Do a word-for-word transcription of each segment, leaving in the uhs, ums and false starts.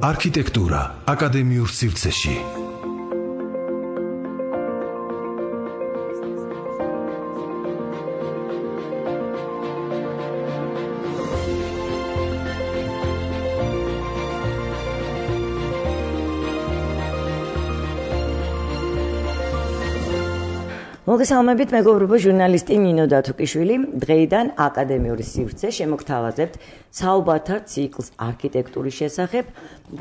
არქიტექტურა აკადემიურ სივრცეში. მოგესალმებით, მეგობრებო, ჟურნალისტი ნინო დათუკიშვილი. დღეიდან აკადემიური სივრცე შემოგთავაზებთ საუბართა ციკლს არქიტექტურის შესახებ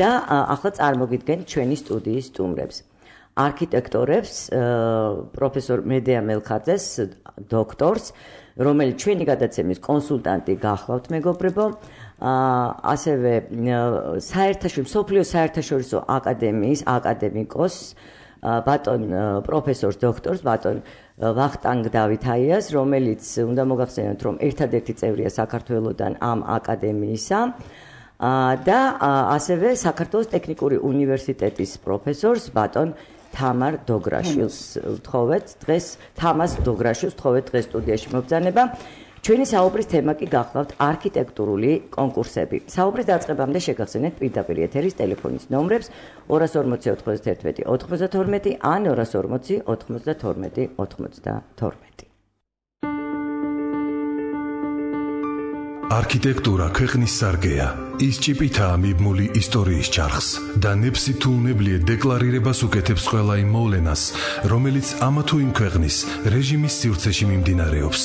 და ახლა წარმოგიდგენთ ჩვენი სტუდიის სტუმრებს. არქიტექტორებს, პროფესორ მედეა მელხაძეს, დოქტორს, რომელიც ჩვენი გადაცემის კონსულტანტი გახლავთ, მეგობრებო. ასევე საერთაშორისო მსოფლიო საერთაშორისო აკადემიის აკადემიკოს ბატონ პროფესორს დოქტორს ბატონ ვახტანგ დავითაიას, რომელიც უნდა მოგახსენოთ, რომ ერთადერთი წევრია საქართველოსთან ამ აკადემიისა და ასევე საქართველოს ტექნიკური უნივერსიტეტის პროფესორს ბატონ თამარ დოგრაშვილს ვთხოვეთ დღეს თამას დოგრაშვილს ვთხოვეთ დღეს სტუდიაში მობრძანება. ჩვენი საუბრის თემა კი გახლავთ არქიტექტურული კონკურსები. საუბრის დაწყებამდე შეგახსენეთ პირდაპირ ეთერის ტელეფონის ნომრებს ორას ორმოცი ოცდაერთმეტი ოცდათორმეტი ან ორას ორმოცი ოცდათორმეტი ოცდათორმეტი. არქიტექტურა ქვეყნის სარგეა. ის ჭიპითაა მიბმული ისტორიის ჩარხს და ნებსი თუ უნებლიე დეკლარირებას უკეთებს ყველა იმ მოვლენას, რომელიც ამა თუ იმ ქვეყნის რეჟიმის სივრცეში მიმდინარეობს.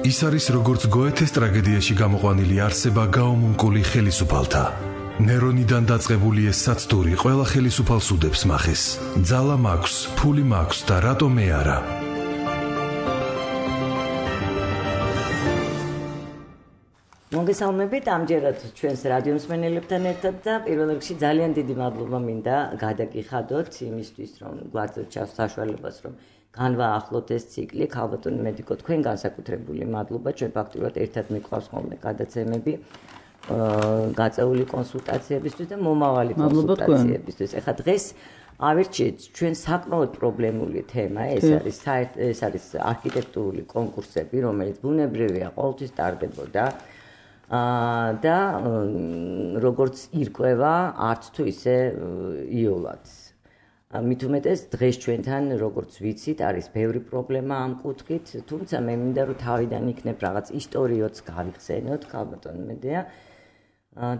ის არის როგორც გოეთეს ტრაგედიაში გამოყვანილი არსება გაომუნკული ხელისუფალთა. ნერონიდან დაწყებული ეს საცდური ყველა ხელისუფალს უდებს მახეს. ძალა მაქვს, ფული მაქვს და რატომ მე არა? მოგესალმებით ამჯერად ჩვენს რადიო მსმენელებთან ერთად და პირველ რიგში ძალიან დიდი მადლობა მინდა გადაგიხადოთ იმისთვის, რომ გვაძლევთ საშუალებას, რომ განვაახლოთ ეს ციკლი. ქალბატონი მედიკო, თქვენ განსაკუთრებული მადლობა, ჩვენ ფაქტურად ერთად მიყვავს ხოლმე გადაცემები, გაწეული კონსულტაციებისთვის და მომავალი კონსულტაციებისთვის. ეხლა დღეს ავირჩიეთ ჩვენ საკმაოდ პრობლემული თემა, ეს არის ეს არის არქიტექტურული კონკურსები, რომელიც ბუნებრივია ყოველთვის ტარდებოდა და როგორც ირკვევა, არც თუ ისე იოლად. მით უმეტეს დღეს ჩვენთან, როგორც ვიცით, არის ბევრი პრობლემა ამ კუთხით, თუმცა მე მინდა რომ თავიდან იქნებ რაღაც ისტორიოც გავიხსენოთ, ქალბატონ მედეა,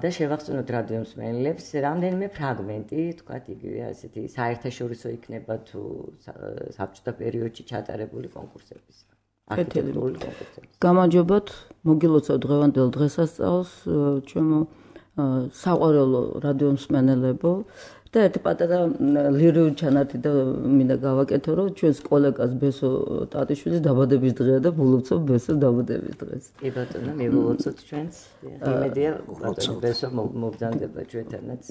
და შევახსენოთ რადიო მსმენელებს რამდენიმე ფრაგმენტი, თქვათ იგივე ასეთი საერთაშორისო იქნება თუ საბჭოთა პერიოდში ჩატარებული კონკურსების. არქიტექტურული კონკურსების. გამარჯობათ, მოგილოცავ დღევანდელ დღესასწაულს, ჩემო საყვარელო რადიო მსმენელებო. და ერთი პატარა ლირიული ჩანართი და მინდა გავაკეთო, რომ ჩვენს კოლეგას ბესო ტატიშვილის დაბადების დღეა და ვილოცავ ბესოს დაბადების დღეს. კი ბატონო, მივულოცოთ ჩვენს. იმედია ბატონო ბესო მობრძანდება ჩვენთანაც.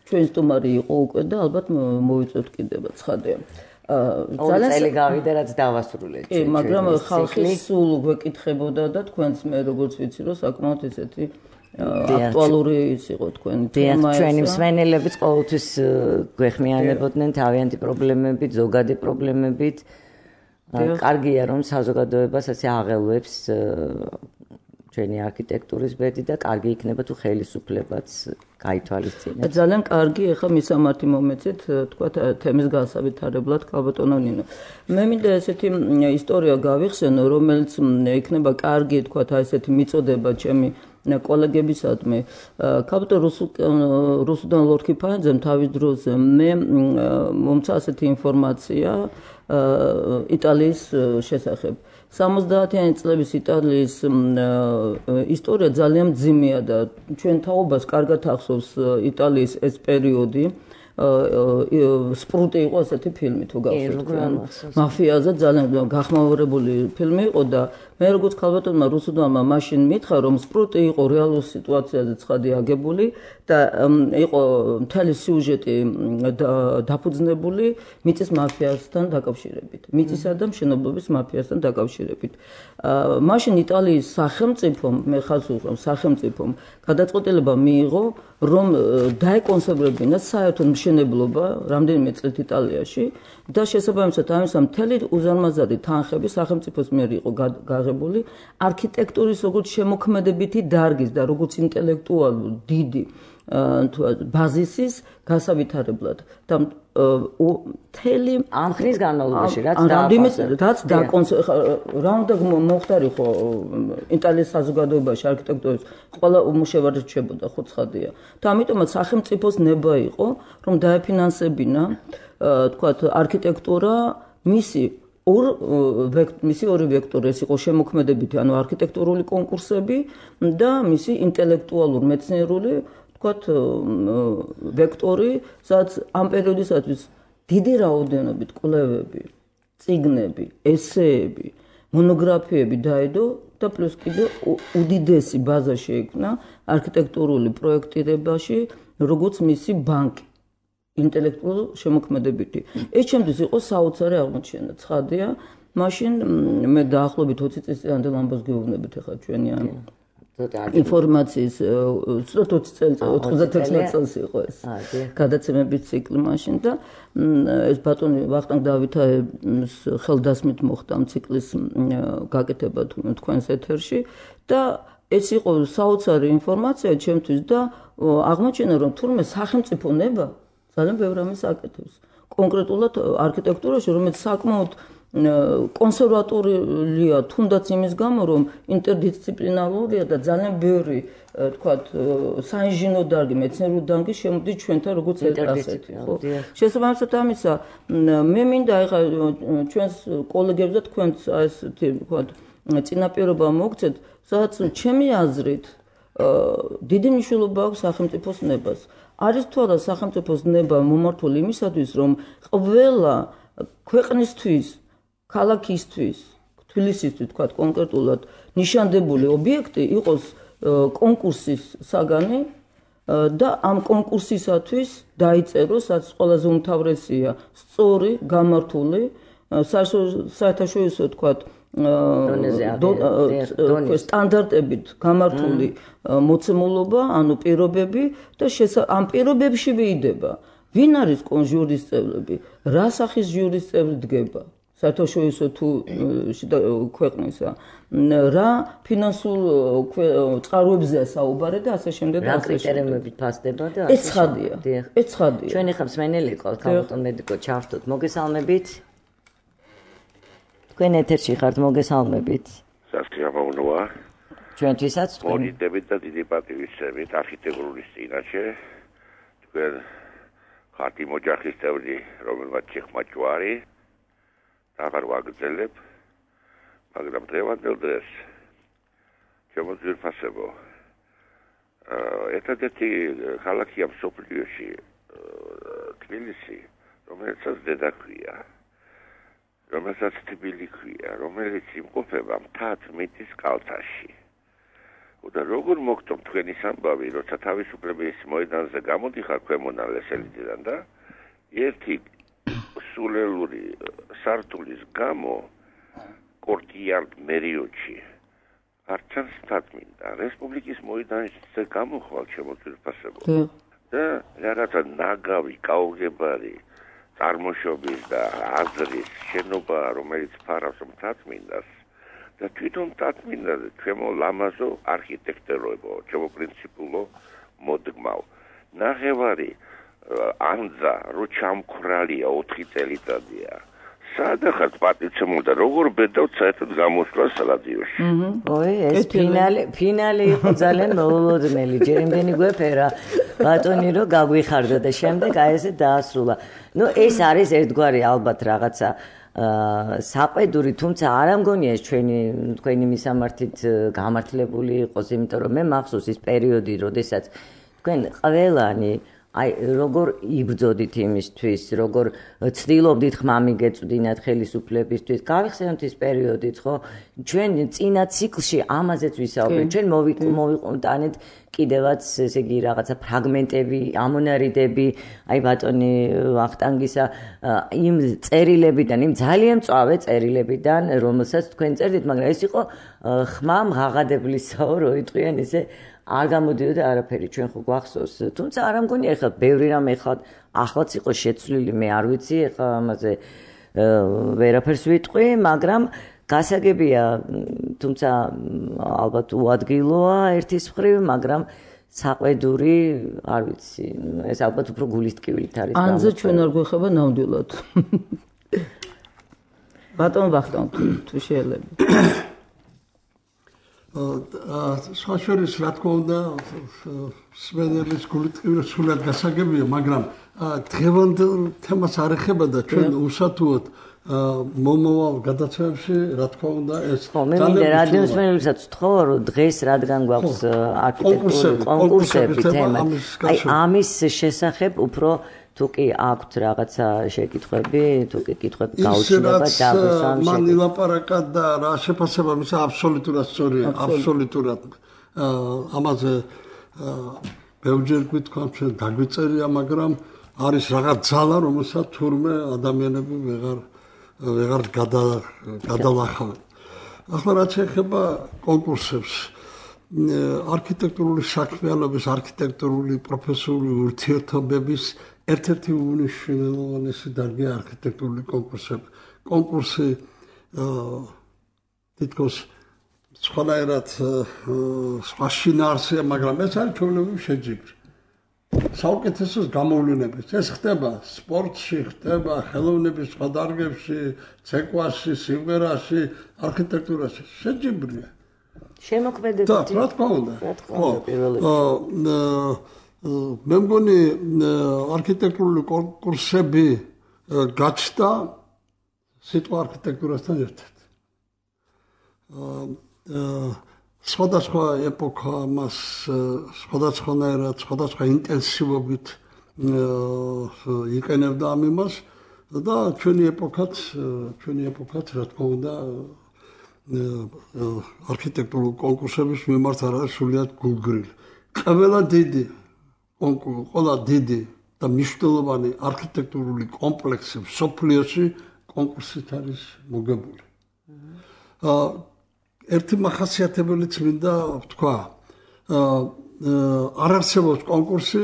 ჩვენ სტუმარი იყო უკვე და ალბათ მოვიწევთ კიდევ ცხადია. ძალიან წელი გავიდა, რაც დავასრულეთ. კი, მაგრამ ხალხი სულ გვეკითხებოდა და თქვენც მე როგორც ვიცი, რომ საკმაოდ ესეთი აქტუალური ის იყო თქვენი თემა. ჩვენი მსმენელებიც ყოველთვის გვეხმიანებოდნენ თავიანთი პრობლემებით, ზოგადი პრობლემებით. კარგია რომ საზოგადოებას ასე აღელვებს ჩვენი არქიტექტურის ბედი და კარგი იქნება თუ ხელისუფლებაც გაითვალისწინებს. ძალიან კარგი, ეხლა მისამართი მომეცეთ, თქვა თემის განსავითარებლად ქალბატონო ნინო. მე მინდა ესეთი ისტორია გავიხსენო, რომელიც იქნება კარგი, თქვა ესეთი მიწოდება ჩემი კოლეგებისადმი. ქალბატონ რუსუდან ლორქიფანიძემ თავის დროზე მე მომცა ასეთი ინფორმაცია იტალიის შესახებ. სამოცდაათიანი წლების იტალიის ისტორია ძალიან მძიმეა და ჩვენ თაობას კარგად ახსოვს იტალიის ეს პერიოდი. სპრუტი იყო ასეთი ფილმი თუ გახსოვთ. მაფიაზე ძალიან გახმაურებული ფილმი იყო და მე როგორც ქალბატონმა რუსუდანმა მაშინ მითხრა, რომ სპრუტი იყო რეალურ სიტუაციაზე ცხადი აგებული და იყო მთელი სიუჟეტი დაფუძნებული მიწის მაფიასთან დაკავშირებით. მიწისა და მშენებლობის მაფიასთან დაკავშირებით. მაშინ იტალიის სახელმწიფომ, მე ხალხს ვუყურებ, სახელმწიფომ გადაწყვეტილება მიიღო, რომ დაეკონსერვებინათ საერთოდ მშენებლობა რამდენიმე წლით იტალიაში და შესაბამისად ამისა მთელი უზარმაზარი თანხები სახელმწიფოს მიერ იყო გაღებული არქიტექტურის როგორც შემოქმედებითი დარგის და როგორც ინტელექტუალური დიდი ბაზისის გასავითარებლად და მთელი ამ ხნის განმავლობაში რაც რაც რა უნდა მოხდარიყო იტალიის საზოგადოებაში არქიტექტურის ყველა უმუშევარი რჩებოდა ხო ცხადია და ამიტომაც სახელმწიფოს ნება იყო რომ დაეფინანსებინა თქვათ არქიტექტურა მისი ორ მისი ორი ვექტორი ეს იყო შემოქმედებითი ანუ არქიტექტურული კონკურსები და მისი ინტელექტუალური მეცნიერული თქვათ ვექტორი, სადაც ამ პერიოდისათვის დიდი რაოდენობით კვლევები, წიგნები, ესეები, მონოგრაფიები დაედო და პლუს კიდე უდიდესი ბაზა შეიქმნა არქიტექტურული პროექტირებაში, როგორც მისი ბანკი, ინტელექტუალურ შემოქმედებითი. ეს ჩემთვის იყო საოცარი აღმოჩენა, ცხადია, მაშინ მე დაახლოებით ოცი წლის წინანდელ ამბავს გეუბნებით ახლა ჩვენი ამ ინფორმაციის ცოტა ოცი წელი ოცდაათი წელს იყო ეს გადაცემების ციკლი მაშინ და ეს ბატონი ვახტანგ დავითაის ხელდასმით მოხდა ამ ციკლის გაკეთება თქვენს ეთერში და ეს იყო საოცარი ინფორმაცია ჩემთვის და აღმოჩენა რომ თურმე სახელმწიფო ნება ძალიან ბევრ ამას აკეთებს კონკრეტულად არქიტექტურაში რომელიც საკმაოდ კონსერვატორია თუნდაც იმის გამო რომ ინტერდისციპლინარულია და ძალიან ბევრი თქვათ საინჟინრო დარგი მეცნიერული დარგი შემოდის ჩვენთან როგორც ასეთი ხო შესაბამისად ამისა მე მინდა ეხა ჩვენს კოლეგებს და თქვენს ასეთი თქვათ წინაპირობა მოგცეთ სადაც ჩემი აზრით დიდი მნიშვნელობა აქვს სახელმწიფოს ნებას არის თუ არა სახელმწიფოს ნება მომართული იმისათვის რომ ყველა ქვეყნისთვის ქალაქისთვის, თბილისისთვის თქვა კონკრეტულად ნიშანდებული ობიექტი იყოს კონკურსის საგანი და ამ კონკურსისათვის დაიწეროს, რაც ყველაზე უმთავრესია, სწორი, გამართული, საერთაშორისო თქვა სტანდარტებით გამართული მოცემულობა, ანუ პირობები და ამ პირობებში ვიდება. ვინ არის ჟურის წევრები? რა სახის ჟურის წევრი დგება? საერთაშორისო თუ ქვეყნისა რა ფინანსურ წყაროებზეა საუბარი და ასე შემდეგ და ასე კრიტერიუმებით ფასდება და ეს ცხადია ეს ცხადია ჩვენ ახლა მსმენელი ყავთ ქალბატონ მედიკო ჩართოთ მოგესალმებით თქვენ ეთერში ხართ მოგესალმებით სასწრაფოა ჩვენთვისაც თქვენ მონიტებით და დიდი პატივისცემით არქიტექტურის წინაშე თქვენ ხართ იმ ოჯახის წევრი რომელმაც ჩეხმა ჯვარი აღარ ვაგრძელებ, მაგრამ დღევანდელ დღეს ჩემო ძვირფასებო ერთადერთი ქალაქია მსოფლიოში თბილისი, რომელსაც დედა ქვია, რომელსაც თბილი ქვია, რომელიც იმყოფება მთაწმინდის კალთაში. და როგორ მოგწონთ თქვენი ამბავი, როცა თავისუფლების მოედანზე გამოდიხარ ქვემო ლესელიდან და ერთი სულელური სართულის გამო კორტიარ მერიოჩი არჩანს თათმინდა რესპუბლიკის მოედანზე გამოხვალ შემოწირფასებო და რაღაცა ნაგავი კაუგებარი წარმოშობის და აზრის შენობა რომელიც ფარავს თათმინდას და თვითონ თათმინდაზე ჩემო ლამაზო არქიტექტორებო ჩემო პრინციპულო მოდგმავ ნახევარი ანძა რო ჩამქრალია ოთხი წელიწადია სადახაც პატიცემულ და როგორ ბედავთ საერთოდ გამოსვლა სალადიოში ოი ეს ფინალი ფინალი იყო ძალიან მოულოდნელი ჯერ იმდენი გვეფერა ბატონი რო გაგვიხარდა და შემდეგ აი ესე დაასრულა ნუ ეს არის ერთგვარი ალბათ რაღაცა საყვედური თუმცა არ ამგონია ეს ჩვენი თქვენი მისამართით გამართლებული იყოს იმიტომ რომ მე მახსოვს ის პერიოდი როდესაც თქვენ ყველანი აი როგორ იბრძოდით იმისთვის, როგორ ცდილობდით ხმამი გეწვდინათ ხელისუფლებისთვის. გავიხსენოთ ის პერიოდიც, ხო? ჩვენ წინა ციკლში ამაზეც ვისაუბრეთ. ჩვენ მოვიყუნდანეთ კიდევაც ესე იგი რაღაცა ფრაგმენტები, ამონარიდები, აი ბატონი ვახტანგისა იმ წერილებიდან, იმ ძალიან მწვავე წერილებიდან, რომელსაც თქვენ წერდით, მაგრამ ეს იყო ხმამ ღაღადებლისაო, რო იტყვიან ესე არ გამოდიოდა არაფერი ჩვენ ხო გვახსოვს თუმცა არ ამგონი ეხლა ბევრი რამ ეხლა ახლაც იყო შეცვლილი მე არ ვიცი ეხლა ამაზე ვერაფერს ვიტყვი მაგრამ გასაგებია თუმცა ალბათ უადგილოა ერთის მხრივ მაგრამ საყვედური არ ვიცი ეს ალბათ უფრო გულის ტკივილით არის ანზე ჩვენ არ გვეხება ნამდვილად ბატონ ვახტანგ თუ შეიძლება საშუალების რა თქმა უნდა სვენელის გულით სულად გასაგებია მაგრამ დღევანდელ თემას არ ეხება და ჩვენ უსათუოდ მომავალ გადაცემებში რა თქმა უნდა ეს მე მინდა რადიოს მსმენელებსაც ვთხოვო რომ დღეს რადგან გვაქვს არქიტექტურული კონკურსები თემა აი ამის შესახებ უფრო თუ კი აქვთ რაღაცა შეკითხვები, თუ კი კითხვები გაუჩნდება დაგვესვამ შეკითხვა. მან ილაპარაკა და რა შეფასება მის აბსოლუტურად სწორია, აბსოლუტურად. ამაზე ბევრჯერ გვითხოვთ ჩვენ დაგვიწერია, მაგრამ არის რაღაც ძალა, რომელსაც თურმე ადამიანები ვეღარ ვეღარ გადალახავენ. ახლა რაც ეხება კონკურსებს, არქიტექტურული საქმიანობის, არქიტექტურული პროფესიული ურთიერთობების ერთ-ერთი უნიშნელოვანესი დარგია არქიტექტურული კონკურსები. კონკურსი თითქოს სხვანაირად სხვა შინაარსია, მაგრამ ეს არის ჩვეულებრივი შეჯიბრი. საუკეთესოს გამოვლენების ეს ხდება სპორტში, ხდება ხელოვნების სხვა დარგებში, ცეკვაში, სიმღერაში, არქიტექტურაში. შეჯიბრია. შემოქმედებითი. რა თქმა უნდა. რა თქმა უნდა, პირველ რიგში. მე მგონი არქიტექტურული კონკურსები გაჩნდა სიტყვა არქიტექტურასთან ერთად. სხვადასხვა ეპოქა მას სხვადასხვანაირად, სხვადასხვა ინტენსივობით იყენებდა ამ იმას და ჩვენი ეპოქაც, ჩვენი ეპოქაც რა თქმა უნდა არქიტექტურული კონკურსების მიმართ არ არის სრულიად გულგრილი. ყველა დიდი კონკურსი, ყველა დიდი და მნიშვნელოვანი არქიტექტურული კომპლექსი მსოფლიოში კონკურსით არის მოგებული. ერთი მახასიათებელიც მინდა ვთქვა. არ არსებობს კონკურსი,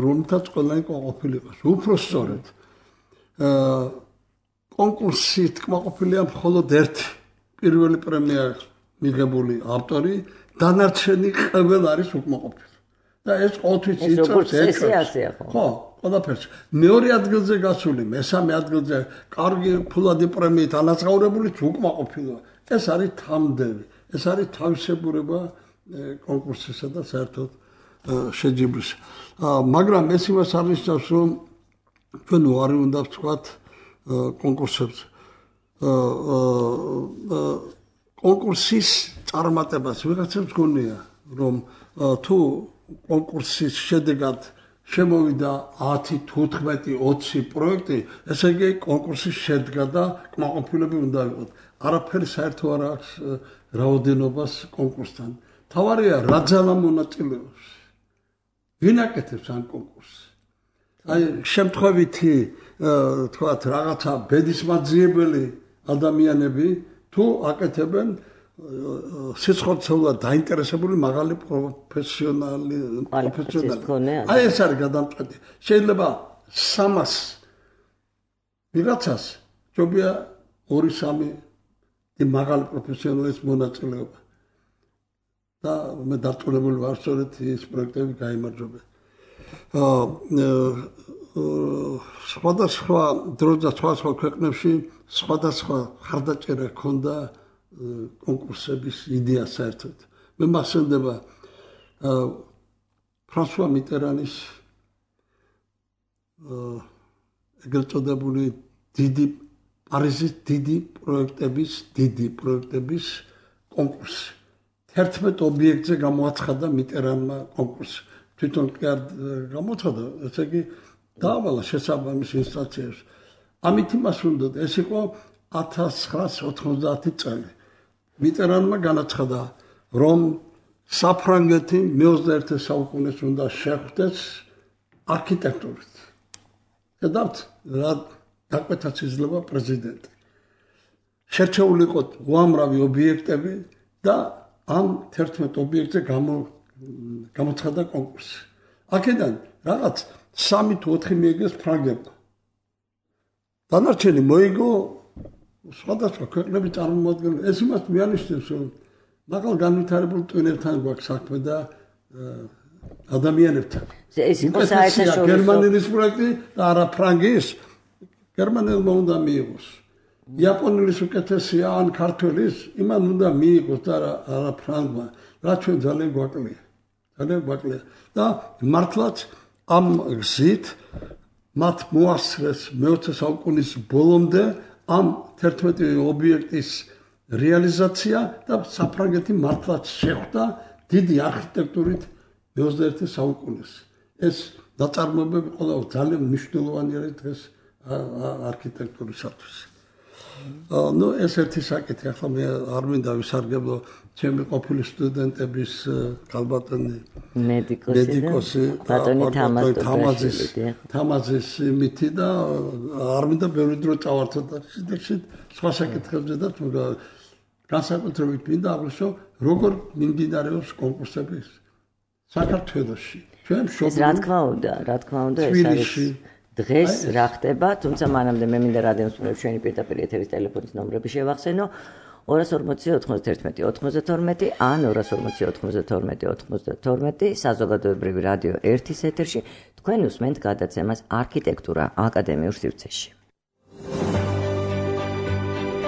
რომელთაც ყველანი კმაყოფილი იყოს. უფრო სწორედ, კონკურსით კმაყოფილია მხოლოდ ერთი პირველი პრემია მიღებული ავტორი, დანარჩენი ყველა არის უკმაყოფილი. და ეს ყოველთვის იწევს ეს ხო, ყველაფერს. მეორე ადგილზე გასული, მესამე ადგილზე კარგი ფულადი პრემიით ანაწავრებულიც უკმაყოფილოა. ეს არის თამდევი, ეს არის თავისებურება კონკურსისა და საერთოდ შეჯიბრის. მაგრამ ეს იმას არნიშნავს, რომ ჩვენ უარი უნდა ვთქვათ კონკურსებს. კონკურსის წარმატებას ვიღაცებს გონია, რომ თუ კონკურსის შედეგად შემოვიდა ათი, თუთხმეტი, ოცი პროექტი, ესე იგი კონკურსი შედგა და კმაყოფილები უნდა იყოს. არაფერი საერთო არ აქვს რაოდენობას კონკურსთან. თავარია რა ძალა მონაწილეობს. ვინ აკეთებს ამ კონკურსს? აი შემთხვევითი თქვათ რაღაცა ბედისმაძიებელი ადამიანები თუ აკეთებენ სიცხორცეულად დაინტერესებული მაღალი პროფესიონალი პროფესიონალი. აი ეს არის გადამწყვეტი. შეიძლება სამას ვიღაცას ჯობია ორი სამი მაღალი პროფესიონალის მონაწილეობა. და მე დარწმუნებული ვარ, სწორედ ეს პროექტები გაიმარჯვება. სხვადასხვა დროს და სხვადასხვა ქვეყნებში სხვადასხვა ხარდაჭერა ჰქონდა კონკურსების იდეა საერთოდ. მე მახსენდება ფრანსუა მიტერანის ეგრეთ წოდებული დიდი პარიზის დიდი პროექტების დიდი პროექტების კონკურსი. ერთმეტ ობიექტზე გამოაცხადა მიტერანმა კონკურსი. თვითონ კი არ გამოაცხადა, ესე იგი დაავალა შესაბამის ინსტანციებს. ამით იმას უნდა, ეს იყო ათას ცხრაას ოთხმოცდაათი წელი. მიტერანმა განაცხადა, რომ საფრანგეთი მეოცდაერთე საუკუნეს უნდა შეხვდეს არქიტექტურით. ხედავთ, რა დაკვეთაც იძლევა პრეზიდენტი. შერჩეული იყო უამრავი ობიექტები და ამ ერთმეტ ობიექტზე გამოცხადდა კონკურსი. აქედან რაღაც სამი თუ ოთხი მიიღეს ფრანგებმა. დანარჩენი მოიგო სხვადასხვა ქვეყნების წარმომადგენლები. ეს იმას მიანიშნებს, რომ მაღალ განვითარებულ ტვინებთან გვაქვს საქმე და ადამიანებთან. ეს იყო საერთაშორისო გერმანიის პროექტი და არა ფრანგის. გერმანელმა უნდა მიიღოს. იაპონელის უკეთესია ან ქართველის, იმან უნდა მიიღოს და არა ფრანგმა. რა ჩვენ ძალიან გვაკლია. ძალიან გვაკლია. და მართლაც ამ გზით მათ მოასწრეს მეოცე საუკუნის ბოლომდე ამ თერთმეტი ობიექტის რეალიზაცია და საფრანგეთი მართლაც შეხვდა დიდი არქიტექტურით მეოცდაერთი საუკუნეს. ეს ნაწარმოებები ყველა ძალიან მნიშვნელოვანი არის დღეს არქიტექტურისათვის. ნუ ეს ერთი საკითხი, ახლა მე არ მინდა ვისარგებლო ჩემი ყოფილი სტუდენტების ქალბატონი მედიკოსი ბატონი თამაზის თამაზის მითი და არ მინდა ბევრი დრო წავართო და შედეში სხვა საკითხებზე და თუ განსაკუთრებით მინდა აღვნიშნო როგორ მიმდინარეობს კონკურსები საქართველოში. ჩვენ შობლი რა თქმა უნდა, რა თქმა უნდა ეს არის დღეს რა ხდება, თუმცა მანამდე მე მინდა რადიოს მსმენელებს ჩვენი პირდაპირ ეთერის ტელეფონის ნომრები შევახსენო ორას ორმოცი ოთხმოცდაერთმეტი ოთხმოცდათორმეტი ან ორას ორმოცი ოთხმოცდათორმეტი ოთხმოცდათორმეტი საზოგადოებრივი რადიო ერთის ეთერში თქვენ უსმენთ გადაცემას არქიტექტურა აკადემიურ სივრცეში.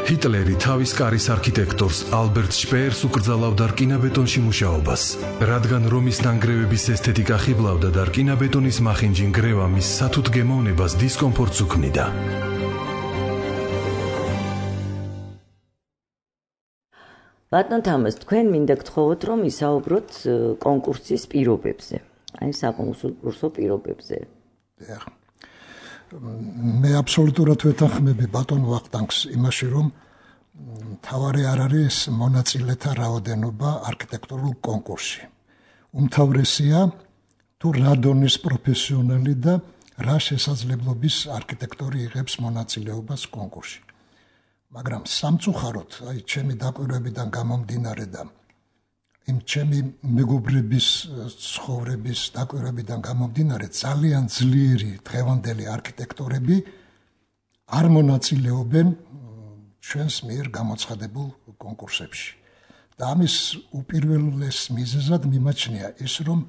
ჰიტლერი თავის კარის არქიტექტორს ალბერტ შპეერს უკრძალავდა რკინაბეტონში მუშაობას, რადგან რომის ნანგრევების ესთეტიკა ხიბლავდა და რკინაბეტონის მახინჯი ნგრევა მის სათუთ გემოვნებას დისკომფორტს უქმნიდა. ბატონ თამაზ, თქვენ მინდა გთხოვოთ, რომ ისაუბროთ კონკურსის პირობებზე, აი საკონკურსო პირობებზე. მე აბსოლუტურად ვეთანხმები ბატონ ვახტანგს იმაში, რომ მთავარი არ არის მონაწილეთა რაოდენობა არქიტექტურულ კონკურსში. უმთავრესია თუ რა დონის პროფესიონალი და რა შესაძლებლობის არქიტექტორი იღებს მონაწილეობას კონკურსში. მაგრამ სამწუხაროდ, აი ჩემი დაკვირვებიდან გამომდინარე და იმ ჩემი მეგობრების ცხოვრების დაკვირვებიდან გამომდინარე ძალიან ძლიერი დღევანდელი არქიტექტორები არ მონაწილეობენ ჩვენს მიერ გამოცხადებულ კონკურსებში. და ამის უპირველეს მიზეზად მიმაჩნია ის, რომ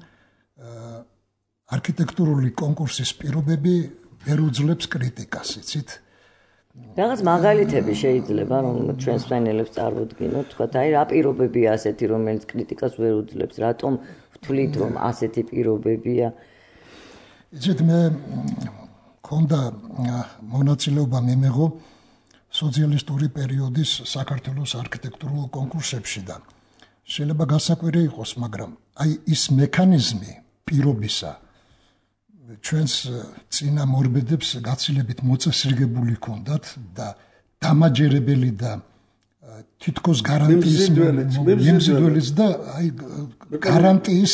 არქიტექტურული კონკურსის პირობები ვერ უძლებს კრიტიკას, იცით? რაღაც მაგალითები შეიძლება რომ ჩვენს მსმენელებს წარმოვდგინოთ, თქვათ, აი რა პირობებია ასეთი, რომელიც კრიტიკას ვერ უძლებს, რატომ ვთვლით რომ ასეთი პირობებია? იცით, მე მქონდა მონაწილეობა მიმეღო სოციალისტური პერიოდის საქართველოს არქიტექტურულ კონკურსებში და შეიძლება გასაკვირი იყოს, მაგრამ აი ის მექანიზმი პირობისა ჩვენს წინა მორბედებს გაცილებით მოწესრიგებული ჰქონდათ და დამაჯერებელი და თითქოს გარანტიის მიმზიდველიც და აი გარანტიის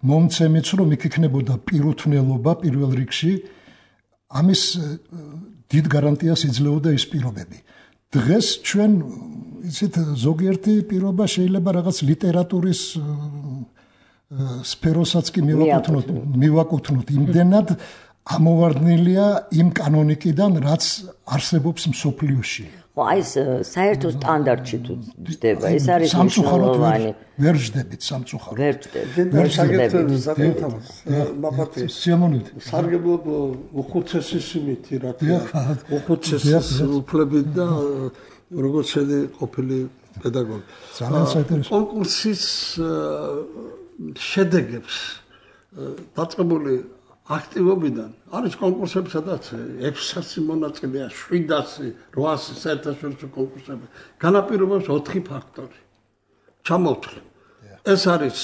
მომცემიც რომ იქ იქნებოდა პირუთვნელობა პირველ რიგში ამის დიდ გარანტიას იძლეოდა ის პირობები. დღეს ჩვენ იცით ზოგიერთი პირობა შეიძლება რაღაც ლიტერატურის სფეროსაც კი მივაკუთვნოთ, მივაკუთვნოთ იმდენად ამოვარდნილია იმ კანონიკიდან, რაც არსებობს მსოფლიოში. ხო, აი ეს საერთო სტანდარტში თუ ჯდება, ეს არის მნიშვნელოვანი. ვერ ჯდებით სამწუხაროდ. ვერ ჯდებით. ვერ შეგეთქვით საკუთამს. მაფათი. სიამოვნებით. სარგებლო უხუცესის იმითი რა თქმა უნდა. უხუცესის უფლებით და როგორც შედი ყოფილი პედაგოგი. ძალიან საინტერესო. კონკურსის შედეგებს დაწყებული აქტივობიდან არის კონკურსები, სადაც ექვსასი მონაწილეა, შვიდასი, რვასი საერთაშორისო კონკურსები. განაპირობებს ოთხი ფაქტორი. ჩამოვთვლი. ეს არის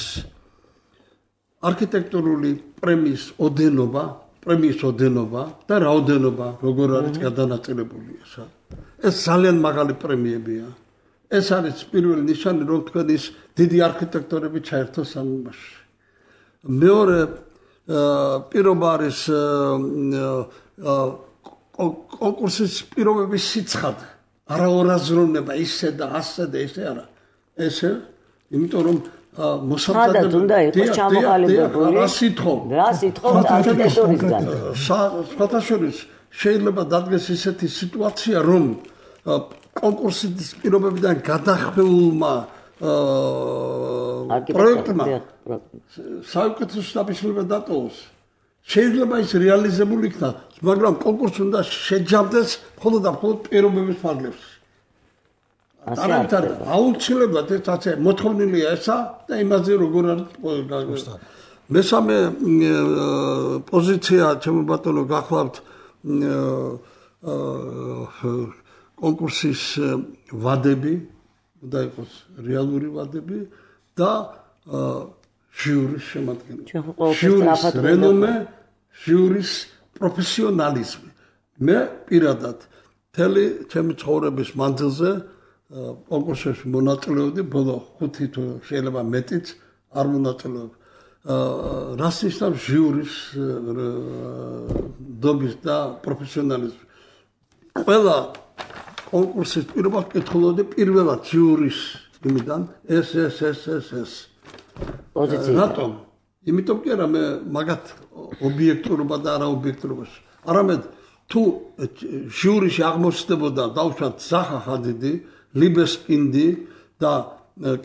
არქიტექტურული პრემიის ოდენობა, პრემიის ოდენობა და რაოდენობა, როგორ არის გადანაწილებული ეს. ეს ძალიან მაღალი პრემიებია. ეს არის პირველი ნიშანი, რომ თქვენ ის დიდი არქიტექტორები ჩაერთოს ამ იმაში. მეორე პირობა არის კონკურსის პირობების სიცხადე. არა ორაზროვნება, ისე და ასე და ესე არა. ესე, იმიტომ რომ მოსამზადებელი უნდა იყოს ჩამოყალიბებული. რა სიტყვა? რა სიტყვა არქიტექტურისგან. სხვათაშორის შეიძლება დადგეს ისეთი სიტუაცია, რომ კონკურსის პირობებიდან გადახმეულმა პროექტმა საუკეთესო დაფიქსირება დატოვოს. შეიძლება ის რეალიზებული იქნას, მაგრამ კონკურსი უნდა შეჯამდეს მხოლოდ და მხოლოდ პირობების ფარგლებს. არამედ აუცილებლად ეს ასე მოთხოვნილია ესა და იმაზე როგორ არის მესამე პოზიცია ჩემო ბატონო გახლავთ კონკურსის ვადები და იყოს რეალური ვადები და ჟიურის შემადგენლობა ჟიურის რენომე ჟიურის პროფესიონალიზმი მე პირადად თელი ჩემი ცხოვრების მანძილზე კონკურსებში მონაწილეობდი ბოლო ხუთი თუ შეიძლება მეტიც არ მონაწილეობ რას ნიშნავს ჟიურის დობის და პროფესიონალიზმი ყველა კონკურსის პირობას კითხულობდი პირველად ჟიურის იმიდან ეს ეს ეს ეს ეს პოზიცია რატომ იმიტომ კი არა მე მაგათ ობიექტურობა და არა ობიექტურობას არამედ თუ ჟიურიში აღმოჩნდებოდა დავუშვათ ზახა ხადიდი ლიბესკინდი და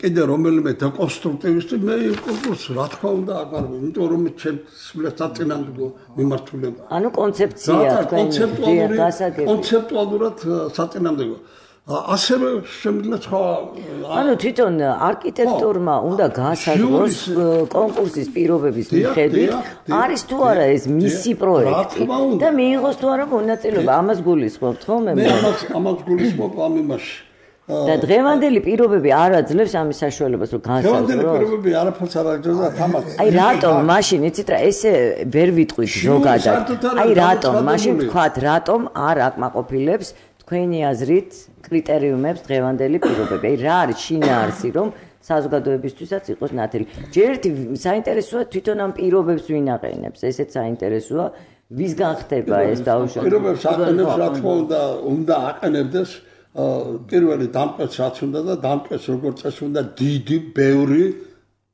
კიდე რომელიმე დეკონსტრუქტივისტი მე კონკურსს რა თქმა უნდა აკარგო იმიტომ რომ ჩემს საწინააღმდეგო მიმართულება ანუ კონცეფცია კონცეპტუალური კონცეპტუალურად საწინააღმდეგო ასევე შემიძლია სხვა ანუ თვითონ არქიტექტორმა უნდა გაასაზღვროს კონკურსის პირობების მიხედვით არის თუ არა ეს მისი პროექტი და მიიღოს თუ არა მონაწილეობა ამას გულისხმობთ ხოლმე მე ამას ამას გულისხმობ ამ იმაში და დღევანდელი პირობები არ აძლევს ამის საშუალებას რომ გაასაზღვროს დღევანდელი პირობები არაფერს არ აძლევს და თამაც აი რატომ მაშინ იცით რა ესე ვერ ვიტყვით ზოგადად აი რატომ მაშინ ვთქვათ რატომ არ აკმაყოფილებს თქვენი აზრით კრიტერიუმებს დღევანდელი პირობები. აი რა არის შინაარსი რომ საზოგადოებისთვისაც იყოს ნათელი. ჯერ ერთი საინტერესოა თვითონ ამ პირობებს ვინ აყენებს. ესეც საინტერესოა ვისგან ხდება ეს დაუშვათ. პირობებს აყენებს რა თქმა უნდა უნდა აყენებდეს პირველი დამკვეთს რაც უნდა და დამკვეთს როგორც წესი უნდა დიდი, ბევრი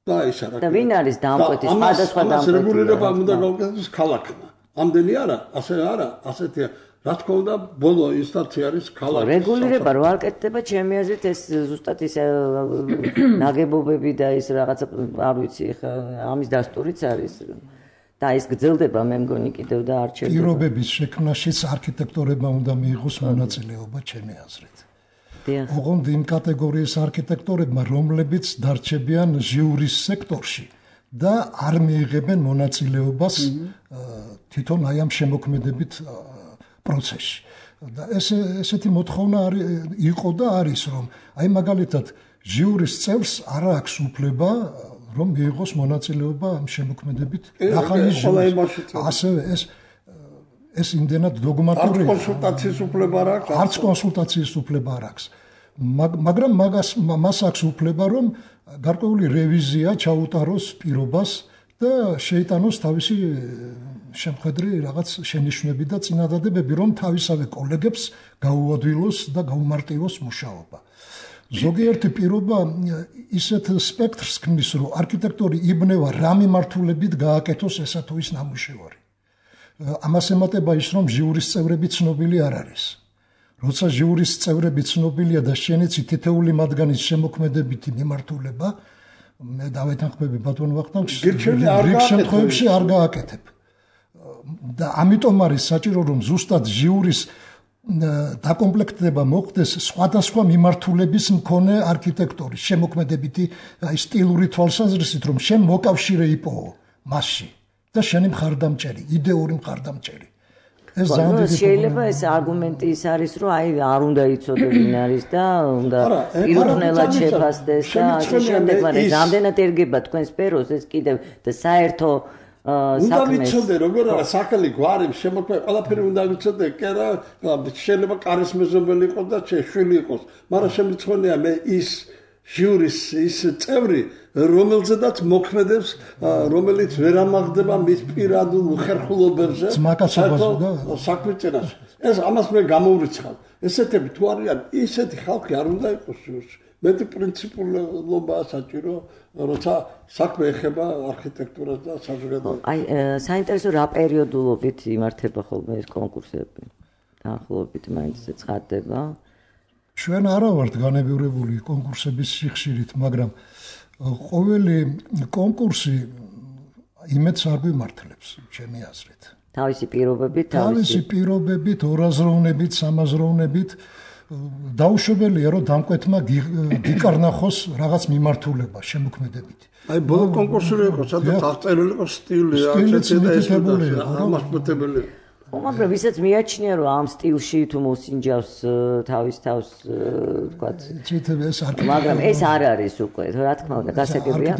და ის არა. და ვინ არის დამკვეთი სხვადასხვა დამკვეთი. რეგულირება უნდა გავუკეთოს ქალაქმა. ამდენი არა, ასე არა, ასეთია რა თქმა უნდა ბოლო ინსტანცია არის ქალაქი რეგულირება რო არ კეთდება ჩემი აზრით ეს ზუსტად ის ნაგებობები და ის რაღაცა არ ვიცი ხა ამის დასტურიც არის და ის გრძელდება მე მგონი კიდევ და არ ჩერდება პირობების შექმნაშიც არქიტექტორებმა უნდა მიიღოს მონაწილეობა ჩემი აზრით ოღონდ იმ კატეგორიის არქიტექტორებმა რომლებიც დარჩებიან ჟიურის სექტორში და არ მიიღებენ მონაწილეობას თვითონ აი ამ შემოქმედებით პროცესში და ეს ესეთი მოთხოვნა იყო და არის რომ აი მაგალითად ჟიურის წევრს არ აქვს უფლება რომ მიიღოს მონაწილეობა ამ შემოქმედებით ახალი ჟიურის ასევე ეს ეს იმდენად დოგმატურია კონსულტაციის უფლება არ აქვს არც კონსულტაციის უფლება არ აქვს მაგრამ მაგას მას აქვს უფლება რომ გარკვეული რევიზია ჩაუტაროს პირობას და შეიტანოს თავისი შემხედრი რაღაც შენიშვნები და წინადადებები რომ თავისავე კოლეგებს გაუადვილოს და გაუმარტივოს მუშაობა. ზოგიერთი პირობა ისეთ სპექტრს ქმნის რომ არქიტექტორი იბნევა რა მიმართულებით გააკეთოს ესა თუ ის ნამუშევარი. ამას ემატება ის რომ ჟიურის წევრები ცნობილი არ არის. როცა ჟიურის წევრები ცნობილია და შენიცი თითეული მათგანის შემოქმედებითი მიმართულება მე დავეთანხმები ბატონ ვახტანგს რიგ შემთხვევებში არ გააკეთებ. და ამიტომ არის საჭირო რომ ზუსტად ჟიურის დაკომპლექტება მოხდეს სხვადასხვა მიმართულების მქონე არქიტექტორის შემოქმედებითი აი სტილური თვალსაზრისით რომ შენ მოკავშირე იპოვო მასში და შენი მხარდამჭერი იდეური მხარდამჭერი ეს ძალიან შეიძლება ეს არგუმენტი ის არის რომ აი არ უნდა იცოდე ვინ არის და უნდა პიროვნულად შეფასდეს და ასე შემდეგ მაგრამ რამდენად ერგება თქვენ სფეროს ეს კიდევ და საერთო უნდა ვიცოდე როგორ არა სახელი გვარი შემოქმედი ყველაფერი უნდა ვიცოდე კი რა შეიძლება კარის მეზობელი იყოს და შვილი იყოს მაგრამ შემიძლია მე ის ჟიურის ის წევრი რომელზედაც მოქმედებს რომელიც ვერ ამაღდება მის პირადულ უხერხულობებზე საქმეწინას ეს ამას მე გამოვრიცხავ ესეთები თუ არიან ისეთი ხალხი არ უნდა იყოს ჟიურში მეტი პრინციპულობაა საჭირო, როცა საქმე ეხება არქიტექტურას და საზოგადოებას. აი, საინტერესო რა პერიოდულობით იმართება ხოლმე ეს კონკურსები? დაახლოებით მაინც ცხადდება. ჩვენ არა ვართ განებივრებული კონკურსების სიხშირით, მაგრამ ყოველი კონკურსი იმედს არ გვიმართლებს, ჩემი აზრით. თავისი პირობებით, თავისი პირობებით, ორაზროვნებით, სამაზროვნებით დაუშვებელია, რომ დამკვეთმა გიკარნახოს რაღაც მიმართულება, შემოქმედებითი. აი, ბოლო კონკურსი იყო, სადაც აღწერილი იყო სტილი, სტილი, ამასპეთებელი. მაგრამ ვისაც მიაჩნია, რომ ამ სტილში თუ მოსინჯავს თავის თავს, ვთქვათ, მაგრამ ეს არ არის უკვე, რა თქმა უნდა, გასაგებია.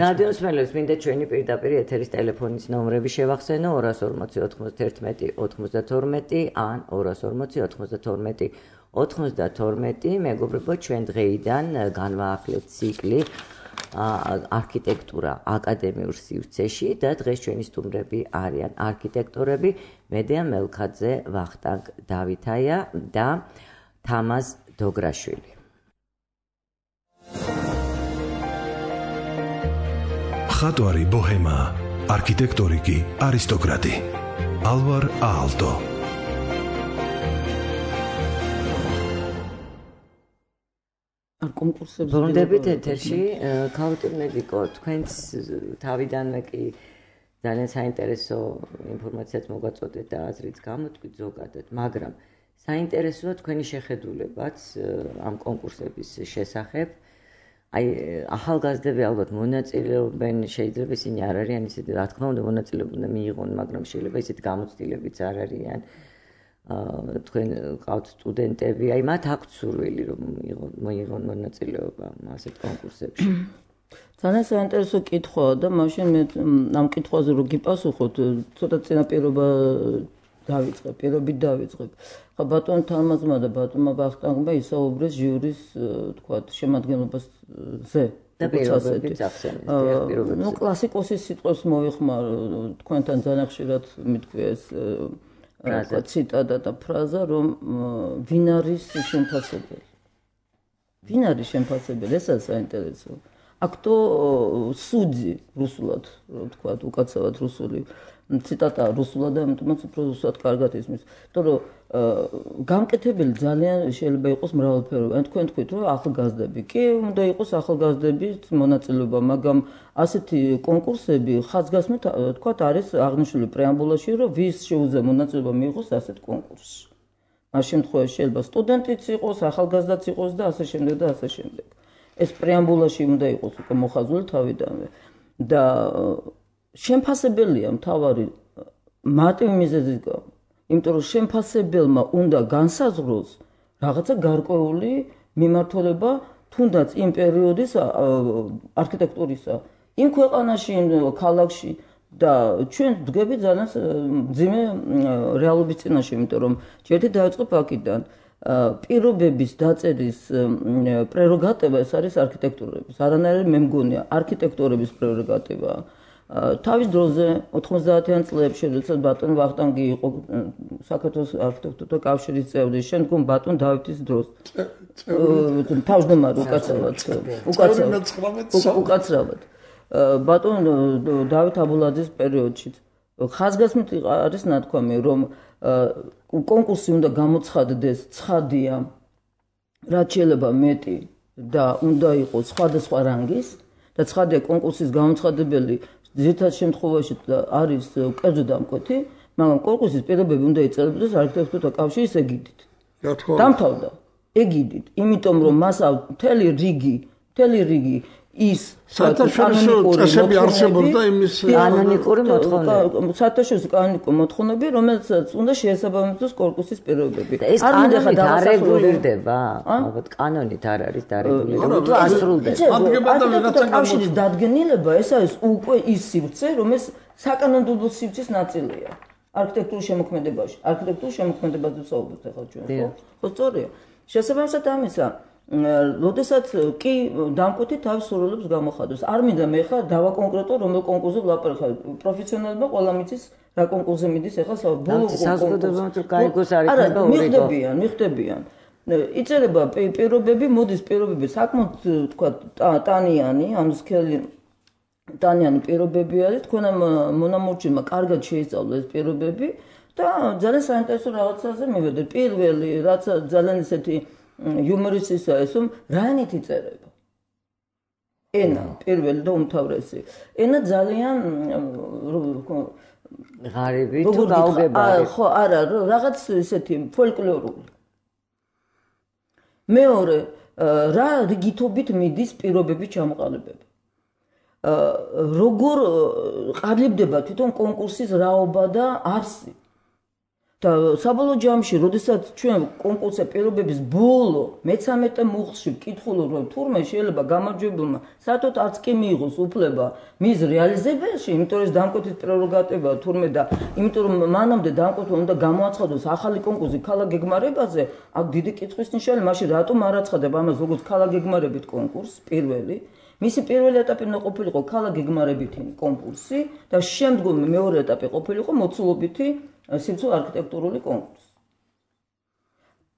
რადიოს მელოს მინდა ჩვენი პირდაპირ ეთერის ტელეფონის ნომრები შევახსენო ორას ორმოცი ოცდაათი ოცდათორმეტი ან ორას ორმოცი ოცდათორმეტი ოცდათორმეტი. მეგობრებო, ჩვენ დღეიდან განვაახლეთ ციკლი არქიტექტურა აკადემიურ სივრცეში და დღეს ჩვენი სტუმრები არიან არქიტექტორები მედია მელქაძე, ვახტანგ დავითაია და თამაზ დოგრაშვილი. მხატვარი ბოჰემა, არქიტექტორი კი არისტოკრატი. ალვარ აალტო. არ კონკურსებს ბრუნდებით ეთერში, ქალბატონ მედიკო, თქვენს თავიდანვე კი ძალიან საინტერესო ინფორმაციაც მოგაწოდეთ და აზრიც გამოთქვით ზოგადად, მაგრამ საინტერესოა თქვენი შეხედულებაც ამ კონკურსების შესახებ. აი, ახალგაზრდები ალბათ მონაწილეობენ, შეიძლება ისინი არ არიან ისეთი, რა თქმა უნდა, მონაწილეობა უნდა მიიღონ, მაგრამ შეიძლება ისეთი გამოცდილებიც არ არიან. თქვენ ყავთ სტუდენტები, აი მათ აქვთ სურვილი რომ მოიღონ მონაწილეობა ასეთ კონკურსებში. ძალიან საინტერესო კითხვაა და მაშინ მე ამ კითხვაზე რო გიპასუხოთ, ცოტა წინაპირობა დავიწყებ, პირობით დავიწყებ. ხა ბატონ თამაზმა და ბატონმა ვახტანგმა ისაუბრეს ჟიურის, თქვათ, შემადგენლობაზე. და პირობებით ახსენეთ, პირობებით. ნუ კლასიკოსის სიტყვებს მოვიხმარ, თქვენთან ძალიან ხშირად მithქვია ეს ციტატა და ფრაზა, რომ ვინ არის შემფასებელი? ვინ არის შემფასებელი? ესაა საინტერესო. აქტო სუძი რუსულად, რო ვთქვათ, უკაცრავად რუსული ციტატა რუსულად და ამიტომაც უფრო რუსულად კარგად ისმის. იმიტომ რომ გამკეთებელი ძალიან შეიძლება იყოს მრავალფეროვანი. თქვენ თქვით, რომ ახალგაზრდები კი უნდა იყოს ახალგაზრდების მონაწილეობა, მაგრამ ასეთი კონკურსები ხაზგასმით, თქვათ, არის აღნიშნული პრეამბულაში, რომ ვის შეუძლია მონაწილეობა მიიღოს ასეთ კონკურსში. ამ შემთხვევაში შეიძლება სტუდენტიც იყოს, ახალგაზრდაც იყოს და ასე შემდეგ და ასე შემდეგ. ეს პრეამბულაში უნდა იყოს უკვე მოხაზული თავიდანვე. და შემფასებელია მთავარი მარტივი მიზეზის გამო. იმიტომ რომ შემფასებელმა უნდა განსაზღვროს რაღაცა გარკვეული მიმართულება თუნდაც იმ პერიოდის არქიტექტურისა, იმ ქვეყანაში, იმ ქალაქში და ჩვენ ვდგები ძალიან მძიმე რეალობის წინაშე, იმიტომ რომ ჯერჯერობით დავიწყებ აქედან. პირობების დაწერის პრეროგატივა ეს არის არქიტექტურების. არანაირი მე მგონია არქიტექტორების პრეროგატივაა. თავის დროზე ოთხმოცდაათიან წლებში, როდესაც ბატონ ვახტანგი იყო საქართველოს არქიტექტორთა კავშირის წევრი, შემდგომ ბატონ დავითის დროს. თავმჯდომარე უკაცრავად. უკაცრავად. ბატონ დავით აბულაძის პერიოდშიც. ხაზგასმით არის ნათქვამი, რომ კონკურსი უნდა გამოცხადდეს ცხადია, რაც შეიძლება მეტი და უნდა იყოს სხვადასხვა რანგის და ცხადია კონკურსის გამოცხადებელი ძირითად შემთხვევაში არის კერძო დამკვეთი, მაგრამ კონკურსის პირობები უნდა იწერებოდეს არქიტექტორთა კავშირის ეგიდით. დამთავრდა ეგიდით, იმიტომ რომ მას მთელი რიგი, მთელი რიგი ის საერთაშორისო წესები არსებობდა იმის კანონიკური მოთხოვნები. საერთაშორისო კანონიკური მოთხოვნები, რომელსაც უნდა შეესაბამებოს კონკურსის პირობები. ეს კანონით არეგულირდება? ალბათ კანონით არ არის დარეგულირებული, თუ ასრულდება. არქიტექტორთა კავშირის დადგენილება ეს არის უკვე ის სივრცე, რომელიც საკანონმდებლო სივრცის ნაწილია. არქიტექტურის შემოქმედებაში, არქიტექტურის შემოქმედებაზე ვსაუბრობთ ახლა ჩვენ, ხო? ხო, სწორია. შესაბამისად ამისა როდესაც კი დამკვეთი თავის სურვილებს გამოხადოს. არ მინდა მე ხა დავაკონკრეტო რომელ კონკურსზე ვლაპარაკობ. პროფესიონალებმა ყველა მიცის რა კონკურსზე მიდის ახლა ბოლო საზოგადოებრივ კაიგოს არ იქნება ორი. მიხდებიან, მიხდებიან. იწერება პირობები, მოდის პირობები საკმაოდ თქვა ტანიანი, ანუ სქელი ტანიანი პირობები არის, თქვენ მონამორჩილმა კარგად შეისწავლა ეს პირობები და ძალიან საინტერესო რაღაცაზე მივედით. პირველი, რაც ძალიან ისეთი იუმორისტია ეს, რომ რაინით იწერება. ენა, პირველი და უმთავრესი. ენა ძალიან ღარიბი თუ გაუგებარი. ხო, არა, რაღაც ისეთი ფოლკლორული. მეორე, რა რიგითობით მიდის პირობების ჩამოყალიბება. როგორ ყალიბდება თვითონ კონკურსის რაობა და არსი. და საბოლოო ჯამში, როდესაც ჩვენ კონკურსზე პირობების ბოლო მეცამეტე მუხლში ვკითხულობ, რომ თურმე შეიძლება გამარჯვებულმა საერთოდ არც კი მიიღოს უფლება მის რეალიზებაში, იმიტომ რომ დამკვეთის პრეროგატივაა თურმე და იმიტომ რომ მანამდე დამკვეთმა უნდა გამოაცხადოს ახალი კონკურსი ქალაქ გეგმარებაზე, აქ დიდი კითხვის ნიშანია, მაშინ რატომ არ აცხადება ამას როგორც ქალაქ გეგმარებით კონკურსს პირველი? მისი პირველი ეტაპი უნდა ყოფილიყო ქალაქ გეგმარებითი კონკურსი და შემდგომ მეორე ეტაპი ყოფილიყო მოცულობითი სიცოცხლე არქიტექტურული კონკურსი.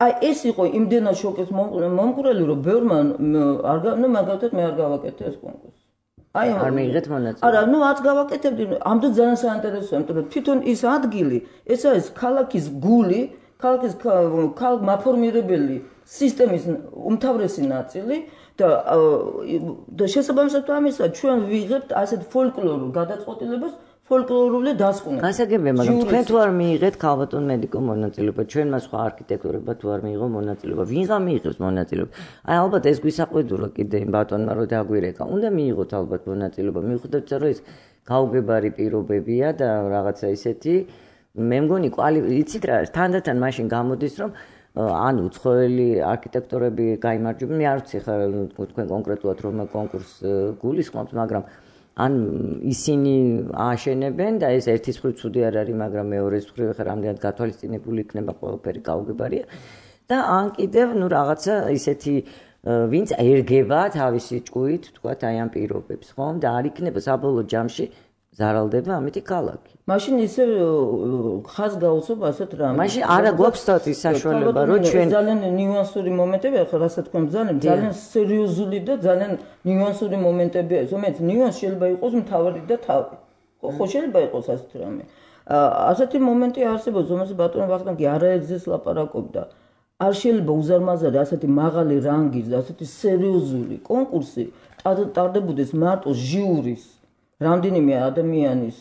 აი ეს იყო იმდენად შოკის მომკვრელი, რომ ბევრმა არ ნუ მაგალითად მე არ გავაკეთე ეს კონკურსი. აი არ მიიღეთ მონაწილეობა. არა, ნუ არც გავაკეთებდი, ამდენ ძალიან საინტერესოა, იმიტომ რომ თვითონ ის ადგილი, ეს არის ქალაქის გული, ქალაქის ქალაქ მაფორმირებელი სისტემის უმთავრესი ნაწილი და და შესაბამისად ამისა ჩვენ ვიღებთ ასეთ ფოლკლორულ გადაწყვეტილებას ფოლკლორული დასკვნები. გასაგებია, მაგრამ თქვენ თუ არ მიიღეთ ქალბატონ მედიკო მონაწილეობა, ჩვენმა სხვა არქიტექტორებმა თუ არ მიიღო მონაწილეობა, ვინღა მიიღებს მონაწილეობა? აი ალბათ ეს გვისაყვედურა კიდე იმ ბატონმა რომ დაგვირეკა. უნდა მიიღოთ ალბათ მონაწილეობა. მიუხედავად რომ ეს გაუგებარი პირობებია და რაღაცა ისეთი, მე მგონი იცით რა, თანდათან მაშინ გამოდის რომ ან უცხოელი არქიტექტორები გაიმარჯვებენ, მე არ ვიცი ხა თქვენ კონკრეტულად რომ კონკურს გულისხმობთ, მაგრამ ან ისინი ააშენებენ და ეს ერთის მხრივ ცუდი არ არის, მაგრამ მეორეს მხრივ ხა რამდენად გათვალისწინებული იქნება ყველაფერი გაუგებარია და ან კიდევ ნუ რაღაცა ისეთი ვინც ერგება თავისი ჭკუით, თქვათ აი ამ პირობებს, ხომ? და არ იქნება საბოლოო ჯამში ზარალდება ამითი ქალაქი. მაშინ ისე ხაზ გაუწევ ასეთ რამე. მაშინ არა გვაქვს თოთის საშუალება, რომ ჩვენ ძალიან ნიუანსური მომენტები ახლა რასაც თქვენ ძალიან ძალიან სერიოზული და ძალიან ნიუანსური მომენტებია. ზოგადად ნიუანსი შეიძლება იყოს მთავარი და თავი. ხო, ხო შეიძლება იყოს ასეთ რამე. ასეთი მომენტი არსებობს, რომელსაც ბატონო ვახტანგი არაერთზეც ლაპარაკობდა. არ შეიძლება უზარმაზარი ასეთი მაღალი რანგის და ასეთი სერიოზული კონკურსი ტარდებოდეს მარტო ჟიურის რამდენიმე ადამიანის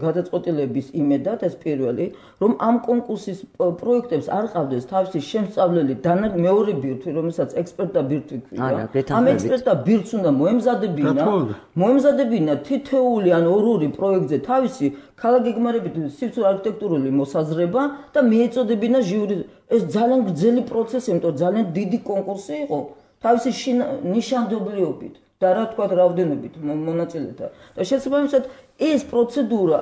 გადაწყვეტილების იმედად ეს პირველი, რომ ამ კონკურსის პროექტებს არ ყავდეს თავისი შემსწავლელი მეორე ბირთვი, რომელსაც ექსპერტთა ბირთვი ქვია. ამ ექსპერტთა ბირთვს უნდა მოემზადებინა, მოემზადებინა თითოეული ან ორ-ორი პროექტზე თავისი ქალაქ გეგმარებითი სიცოცხლე არქიტექტურული მოსაზრება და მიეწოდებინა ჟიური. ეს ძალიან გრძელი პროცესი, იმიტომ რომ ძალიან დიდი კონკურსი იყო თავისი ნიშანდობლიობით. და რა თქვა რაოდენობით მონაწილეთა და შესაბამისად ეს პროცედურა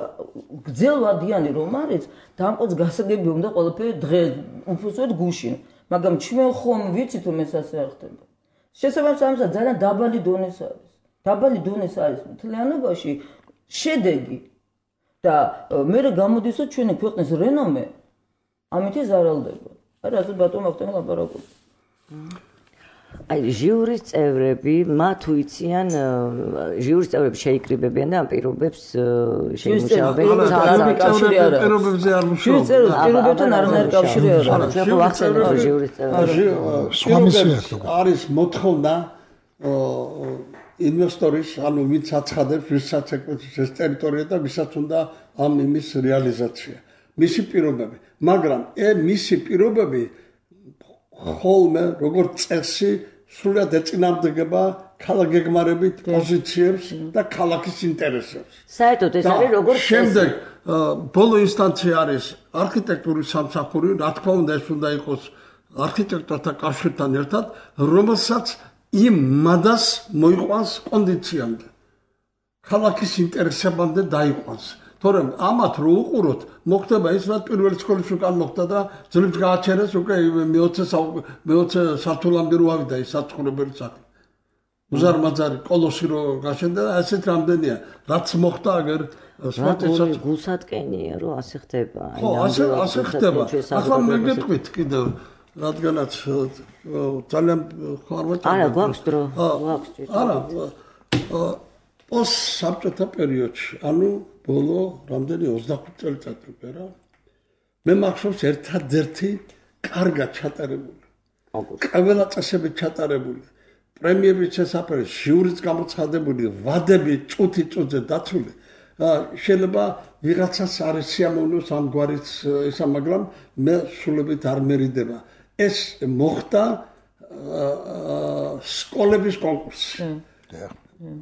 გრძელვადიანი რომ არის დამყოც გასაგები უნდა ყველაფერი დღეს უბრალოდ გუშინ მაგრამ ჩვენ ხომ ვიცით რომ ეს ასე არ ხდება შესაბამისად ამისა ძალიან დაბალი დონეს არის დაბალი დონეს არის მთლიანობაში შედეგი და მე გამოდის რომ ჩვენი ქვეყნის რენომე ამით ზარალდება აი რა ბატონო ვახტანგ ლაპარაკობს აი ჟიურის წევრები მათ უიციან ჟიურის წევრები შეიკრიბებიან და ამ პირობებს შეიმუშავებენ კავშირი არა პირობებზე არ მუშაობენ ჟიურის პირობებთან არანაირი კავშირი არ აქვს ჩვენ ვახსენებთ ჟიურის წევრები არის მოთხოვნა ინვესტორის ანუ ვინც აცხადებს ვისაც ეკუთვნის ეს ტერიტორია და ვისაც უნდა ამ იმის რეალიზაცია მისი პირობები მაგრამ ე მისი პირობები ხოლმე როგორც წესი სრულად ეწინააღმდეგება ქალაქ გეგმარებით პოზიციებს და ქალაქის ინტერესებს. საერთოდ ეს არის როგორც შემდეგ ბოლო ინსტანცია არის არქიტექტურის სამსახური, რა თქმა უნდა ეს უნდა იყოს არქიტექტორთა კავშირთან ერთად, რომელსაც იმ მადას მოიყვანს კონდიციამდე. ქალაქის ინტერესებამდე დაიყვანს. თორემ ამათ რო უყუროთ, მოხდება ის, რაც პირველი სკოლის უკან მოხდა და ძლებს გააჩერეს უკვე მეოცე სართულამდე რო ავიდა ის საცხოვრებელი სახლი. უზარმაზარი კოლოსი რო გაშენდა და ასეთ რამდენია, რაც მოხდა აგერ სპორტისაც გულსატკენია, რომ ასე ხდება. ხო, ასე ასე ხდება. ახლა მე გეტყვით კიდევ რადგანაც ძალიან ხარვაჭა არა გვაქვს დრო გვაქვს არა პოს საბჭოთა პერიოდში ანუ ბოლო რამდენი ოცდახუთი წელიწადი რა მე მახსოვს ერთადერთი კარგად ჩატარებული ყველა წესები ჩატარებული პრემიების შესაფერად ჟიურიც გამოცხადებული ვადები წუთი წუთზე დაცული შეიძლება ვიღაცას არის სიამოვნოს ამგვარიც ისა მაგრამ მე სულებით არ მერიდება ეს მოხდა სკოლების კონკურსი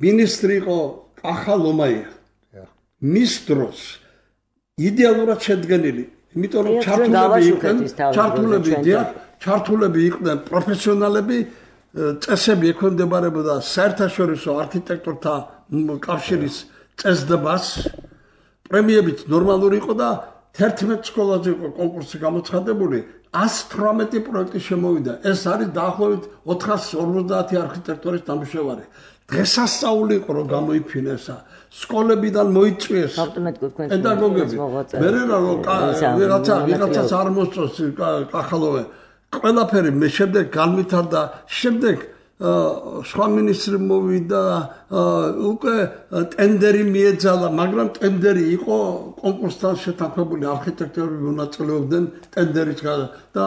მინისტრი იყო კახა ლომაია მის დროს იდეალურად შედგენილი იმიტომ რომ ჩართულები იყვნენ ჩართულები დიახ ჩართულები იყვნენ პროფესიონალები წესები ექვემდებარებოდა საერთაშორისო არქიტექტორთა კავშირის წესდებას პრემიებიც ნორმალური იყო და თერთმეტ სკოლაზე იყო კონკურსი გამოცხადებული ას თვრამეტი პროექტი შემოვიდა ეს არის დაახლოებით ოთხასი ორმოცდაათი არქიტექტორის ნამუშევარი დღესასწაული იყო რომ გამოიფინესა სკოლებიდან მოიწვიეს პედაგოგები მე რა რომ ვიღაცა ვიღაცას არ მოსწონს კახალოვე ყველაფერი მე შემდეგ განვითარდა შემდეგ სხვა მინისტრი მოვიდა უკვე ტენდერი მიეძალა მაგრამ ტენდერი იყო კონკურსთან შეთანხმებული არქიტექტორები მონაწილეობდნენ ტენდერის და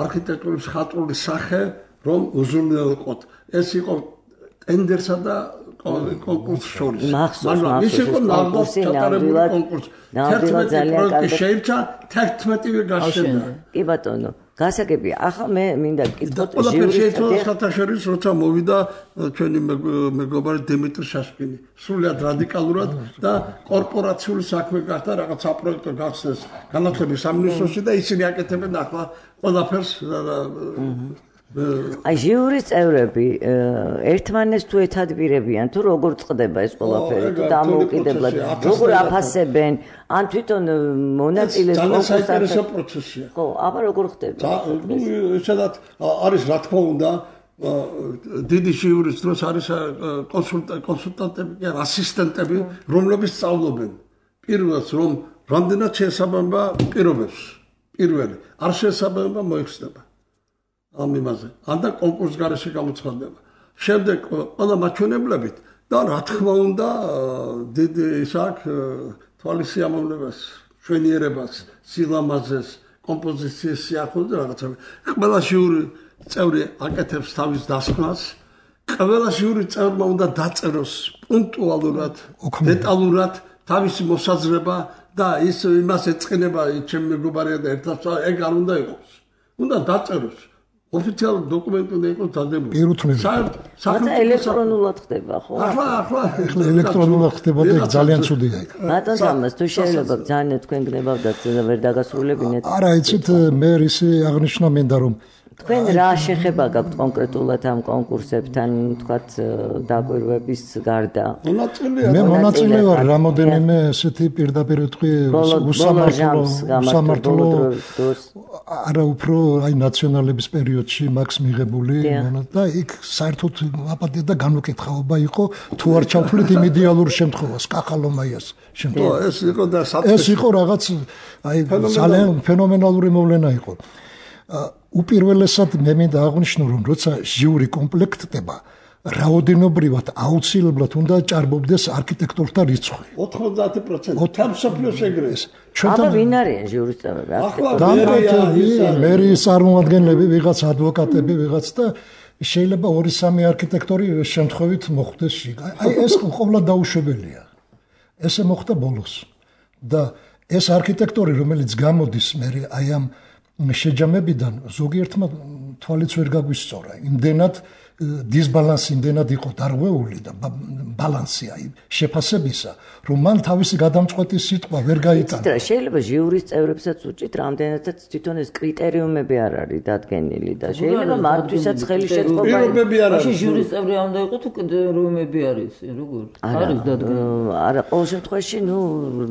არქიტექტურის ხატრული სახე რომ უზრუნველყოთ ეს იყო ტენდერსა და კონკურს შორის მაგრამ ის იყო ნამდვილად ჩატარებული კონკურსი თერთმეტი პროექტი შეირჩა თერთმეტივე გაშენდა კი ბატონო გასაგები ახლა მე მინდა გკითხოთ ჟიურის საერთაშორისო როცა მოვიდა ჩვენი მეგობარი დიმიტრი შაშკინი სრულიად რადიკალურად და კორპორაციული საქმე გახდა რაღაც საპროექტო გახსნეს განათლების სამინისტროში და ისინი აკეთებენ ახლა ყველაფერს აი ჟიურის წევრები ერთმანეს თუ ეთადბირებიან თუ როგორ წყდება ეს ყველაფერი თუ დამოუკიდებლად როგორ აფასებენ ან თვითონ მონაწილეს კონკურსში პროცესია ხო აბა როგორ ხდება ნუ ესადაც არის რა თქმა უნდა დიდი ჟიურის დროს არის კონსულტანტები და ასისტენტები რომლებიც სწავლობენ პირველს რომ რამდენად შეესაბამება პირობებს პირველი არ შეესაბამება მოიხსნება ამ იმაზე ანდა კონკურს გარეშე გამოცხადდება შემდეგ ყველა მაჩვენებლებით და რა თქმა უნდა დიდი ისაკ თვალის სიამოვნებას ჩვენიერებას სილამაზეს კომპოზიციის სიახლოვეს და რაღაცა ყველა ჟიური წევრი აკეთებს თავის დასკვნას ყველა ჟიური წევრმა უნდა დაწეროს პუნქტუალურად დეტალურად თავისი მოსაზრება და ის იმას ეწყინება ჩემი მეგობარია და ერთად ეგ არ უნდა იყოს უნდა დაწეროს ოფიციალური დოკუმენტი უნდა იყოს დადებული. საერთოდ ელექტრონულად ხდება, ხო? ახლა ახლა ელექტრონულად ხდება და ძალიან ცუდია იქ. ბატონ სამას თუ შეიძლება ძალიან თქვენ გნებავდათ ვერ დაგასრულებინეთ. არა, იცით მე ისი აღნიშნა მინდა რომ თქვენ რა შეხება გაქვთ კონკრეტულად ამ კონკურსებთან, თქვათ დაკვირვების გარდა? მე მონაწილე ვარ რამოდენიმე ესეთი პირდაპირ თქვი უსამართლო უსამართლო არა უფრო აი ნაციონალების პერიოდში მაქვს მიღებული და იქ საერთოდ აპატია და განუკითხაობა იყო თუ არ ჩავთვლით იმ იდეალურ შემთხვევას კახალომაიას შემთხვევაში ეს იყო და ეს იყო რაღაც აი ძალიან ფენომენალური მოვლენა იყო უპირველესად მე მინდა აღვნიშნო რომ როცა ჟიური კომპლექტდება რაოდენობრივად აუცილებლად უნდა ჭარბობდეს არქიტექტორთა რიცხვი ოთხმოცდაათი პროცენტი თამსოფლიოს ეგრეს აბა ვინ არიან ჟიურის წევრები დამკვეთები მერიის წარმომადგენლები ვიღაც ადვოკატები ვიღაც და შეიძლება ორი სამი არქიტექტორი შემთხვევით მოხვდეს აი ეს ყოველდღე დაუშვებელია ესე მოხდა ბოლოს და ეს არქიტექტორი რომელიც გამოდის მე აი ამ შეჯამებიდან ზოგიერთმა თვალიც ვერ გაგვისწორა იმდენად დისბალანსი იმდენად იყო დარღვეული და ბალანსი აი შეფასებისა რომ მან თავისი გადამწყვეტი სიტყვა ვერ გაიტანა შეიძლება ჟიურის წევრებსაც უჭით რამდენადაც თვითონ ეს კრიტერიუმები არ არის დადგენილი და შეიძლება მათთვისაც ხელი შეწყობა პირობები არ არის ჟიურის წევრი არ უნდა იყოს თუ კრიტერიუმები არის როგორ არის დადგენილი არა ყოველ შემთხვევაში ნუ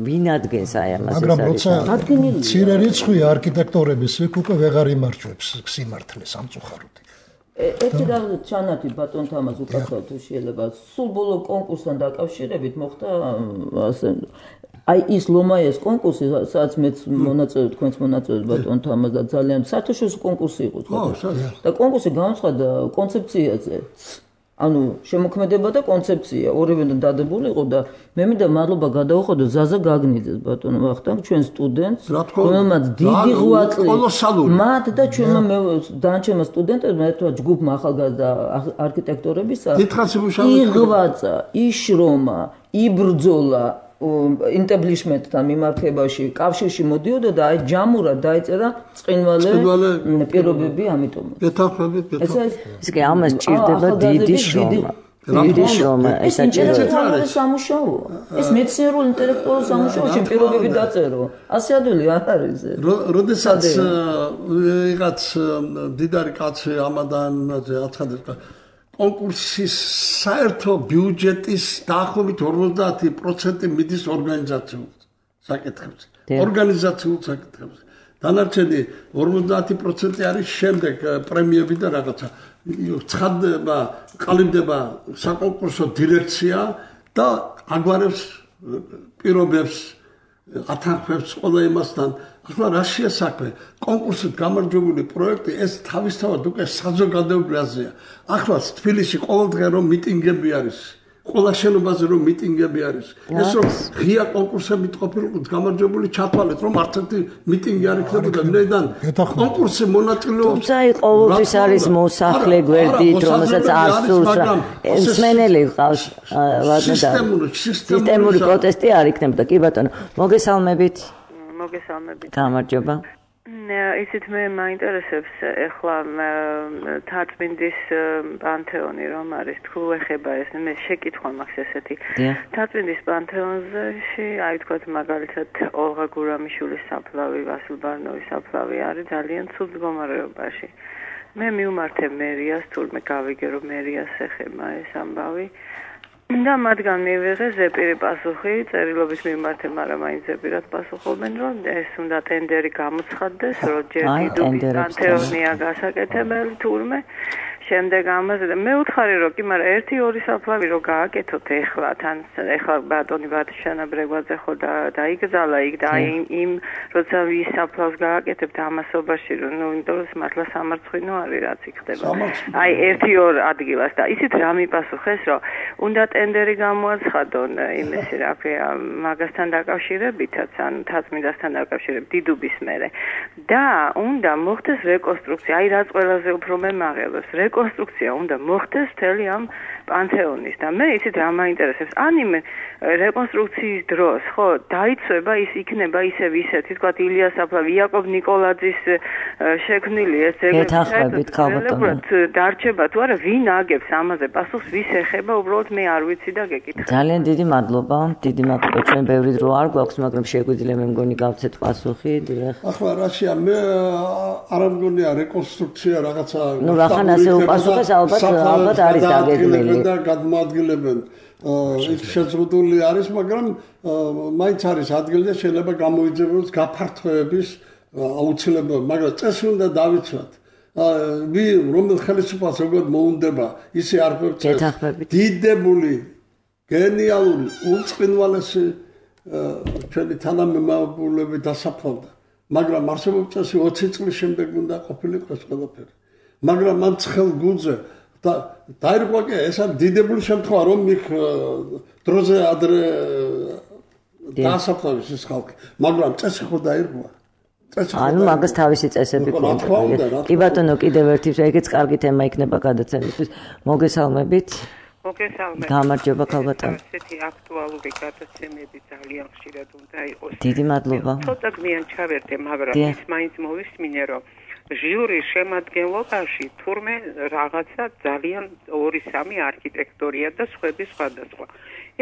ვინ ადგენს აი ამას მაგრამ როცა მცირე რიცხვია არქიტექტორების იქ უკვე ვეღარ იმარჯვებს სიმართლე სამწუხაროდ ერთი რაღაც ჩანათი ბატონ თამაზ უკაცრავ თუ შეიძლება სულ ბოლო კონკურსთან დაკავშირებით მოხდა ასე აი ის ლომაიას კონკურსი, სადაც მეც მონაწილე თქვენს მონაწილეობთ ბატონთან ამას და ძალიან საერთაშორისო კონკურსი იყო თქვა. და კონკურსი განაცხადა კონცეფციაზე. ანუ შემოქმედება და კონცეფცია ორივე დადებული იყო და მე მინდა მადლობა გადავუხადო ზაზა გაგნიძეს ბატონო ვახტანგ ჩვენ სტუდენტს რომელმაც დიდი ღვაწლი მათ და ჩვენმა დანარჩენმა სტუდენტებმა ერთად ჯგუფმა ახალგაზრდა არქიტექტორებისა იღვაწა იშრომა იბრძოლა ინტებლიშმენტთან მიმართებაში კავშირში მოდიოდა და აი ჯამურად დაეწერა წყინვალე პირობები ამიტომ. ეთაფებით, ეთაფებით. ეს კი ამას ჭირდება დიდი შრომა. დიდი შრომა, ეს საჭიროა სამუშაო. ეს მეცნიერულ ინტელექტუალურ სამუშაოში პირობები დაწერო. ასე ადვილი არ არის ეს. როდესაც ვიღაც დიდარი კაცი ამადანზე აცხადებს კონკურსის საერთო ბიუჯეტის დაახლოებით ორმოცდაათი პროცენტი მიდის ორგანიზაციულ საკითხებზე. ორგანიზაციულ საკითხებზე. დანარჩენი ორმოცდაათი პროცენტი არის შემდეგ პრემიები და რაღაცა. ცხადდება, ყალიბდება საკონკურსო დირექცია და აგვარებს პირობებს, ათანხმებს ყველა იმასთან. ახლა რა შეასაქმე კონკურსით გამარჯვებული პროექტი ეს თავისთავად უკვე საზოგადოებრივია. ახლა თბილისში ყოველდღე რომ მიტინგები არის, ყველა შენობაზე რომ მიტინგები არის. ეს რომ ღია კონკურსებით ყოფილიყო გამარჯვებული ჩათვალეთ რომ არც ერთი მიტინგი არ იქნებოდა ვინაიდან კონკურსში მონაწილეობს. თუმცა ყოველთვის არის მოსახლე გვერდით, რომელსაც არ სურს რა. მსმენელი ყავს სისტემური პროტესტი არ იქნებოდა. კი ბატონო, მოგესალმებით. მოგესალმებით. გამარჯობა. ისიც მე მაინტერესებს ახლა თაწმინდის პანთეონი რომ არის თუ ეხება ეს მე შეკითხვა მაქვს ესეთი. თაწმინდის პანთეონში აი თქვათ მაგალითად ოლღა გურამიშვილის საფლავი, ვასილ ბარნოვის საფლავი არის ძალიან ცუდ მდგომარეობაში. მე მივმართე მერიას, თურმე გავიგე რომ მერიას ეხება ეს ამბავი. და მათგან მივიღე ზეპირი პასუხი, წერილობის მიმართე, მაგრამ მაინც ზეპირად პასუხობენ, რომ ეს უნდა ტენდერი გამოცხადდეს, რომ ჯერ დიდუბის პანთეონია გასაკეთებელი თურმე. შემდეგ ამაზე და მე ვუთხარი რომ კი, მაგრამ ერთი ორი საფლავი რო გააკეთოთ ეხლა, თან ეხლა ბატონი ბატიშანა ბრეგვაძე ხო და დაიგზალა იქ და აი იმ როცა ვის საფლავს გააკეთებთ ამასობაში რომ ნუ იმიტომ რომ მართლა სამარცხვინო არის რაც იქ ხდება. აი ერთი ორ ადგილას და ისიც რა მიპასუხეს რომ უნდა ტენდერი გამოაცხადონ იმისი რა ქვია მაგასთან დაკავშირებითაც ან თაწმინდასთან დაკავშირებით დიდუბის მერე და უნდა მოხდეს რეკონსტრუქცია. აი რაც ყველაზე უფრო მე მაღელებს რეკონსტრუქცია უნდა მოხდეს მთელი ამ პანთეონის და მე იცით რა მაინტერესებს ან იმ რეკონსტრუქციის დროს ხო დაიცვება ის იქნება ისევ ისეთი თქვა ილია საფლავი იაკობ ნიკოლაძის შექმნილი ეს ეთახმებით ქალბატონო დარჩება თუ არა ვინ აგებს ამაზე პასუხს ვის ეხება უბრალოდ მე არ ვიცი და გეკითხე ძალიან დიდი მადლობა დიდი მადლობა ჩვენ ბევრი დრო არ გვაქვს მაგრამ შეგვიძლია მე მგონი გავცეთ პასუხი ახლა რაშია მე არ მგონია რეკონსტრუქცია რაღაცა ნუ რახან ასე უპასუხეს ალბათ ალბათ არის დაგეგმილი და გადმოადგილებენ ის შეზღუდული არის მაგრამ მაინც არის ადგილი და შეიძლება გამოიძებოს გაფართოების აუცილებლობა მაგრამ წესი უნდა დავიცვათ ვი რომელ ხელისუფლებას როგორ მოუნდება ისე არ ხვევწეს დიდებული გენიალური უწყინვალესი ჩვენი თანამემამულები დასაფლავდა მაგრამ არსებობს წესი ოცი წლის შემდეგ უნდა ყოფილიყო ეს ყველაფერი მაგრამ მან ცხელ გულზე და დაირღვა კი ეს არის დიდებული შემთხვევა რომ იქ დროზე ადრე დასაფლავის ის ხალხი მაგრამ წესი ხო დაირღვა ანუ მაგას თავისი წესები ქონდა კი ბატონო კიდევ ერთი ეგეც კარგი თემა იქნება გადაცემისთვის მოგესალმებით მოგესალმებით გამარჯობა ქალბატონო ესეთი აქტუალური გადაცემები ძალიან ხშირად უნდა იყოს დიდი მადლობა ცოტა გმიან ჩავერდე მაგრამ ის მაინც მოვისმინე რომ ჟიურის შემადგენლობაში თურმე რაღაცა ძალიან ორი სამი არქიტექტორია და სხვები სხვადასხვა